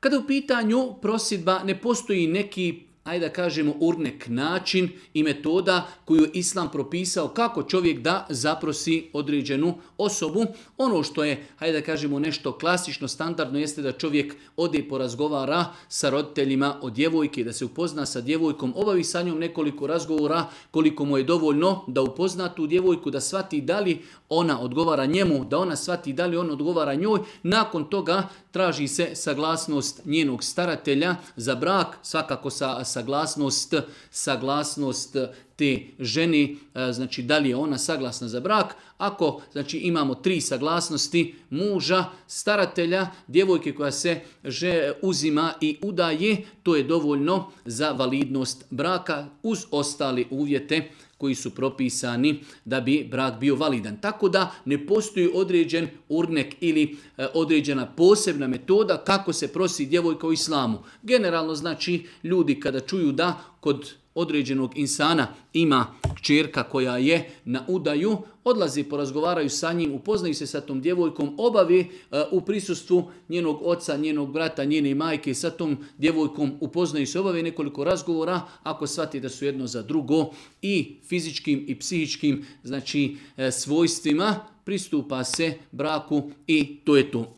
Kada u pitanju prosjedba ne postoji neki, ajde da kažemo, urnek način i metoda koju je Islam propisao kako čovjek da zaprosi određenu osobu. Ono što je, ajde da kažemo, nešto klasično, standardno jeste da čovjek ode i porazgovara sa roditeljima o djevojke, da se upozna sa djevojkom, obavi sa njom nekoliko razgovora koliko mu je dovoljno da upozna tu djevojku, da shvati da li ona odgovara njemu, da ona shvati da li on odgovara njoj. Nakon toga traži se saglasnost njenog staratelja za brak, svakako saglasnost te žene, znači da li je ona saglasna za brak. Ako znači imamo 3 saglasnosti muža, staratelja, djevojke koja se uzima i udaje, to je dovoljno za validnost braka uz ostale uvjete koji su propisani da bi brak bio validan. Tako da ne postoji određen urnek ili određena posebna metoda kako se prosi djevojka u islamu. Generalno znači ljudi kada čuju da kod određenog insana ima kćerka koja je na udaju, odlazi, porazgovaraju sa njim, upoznaju se sa tom djevojkom, obavi u prisustvu njenog oca, njenog brata, njene majke, sa tom djevojkom upoznaju se, obave nekoliko razgovora, ako shvati da su jedno za drugo i fizičkim i psihičkim znači svojstvima, pristupa se braku i to je to.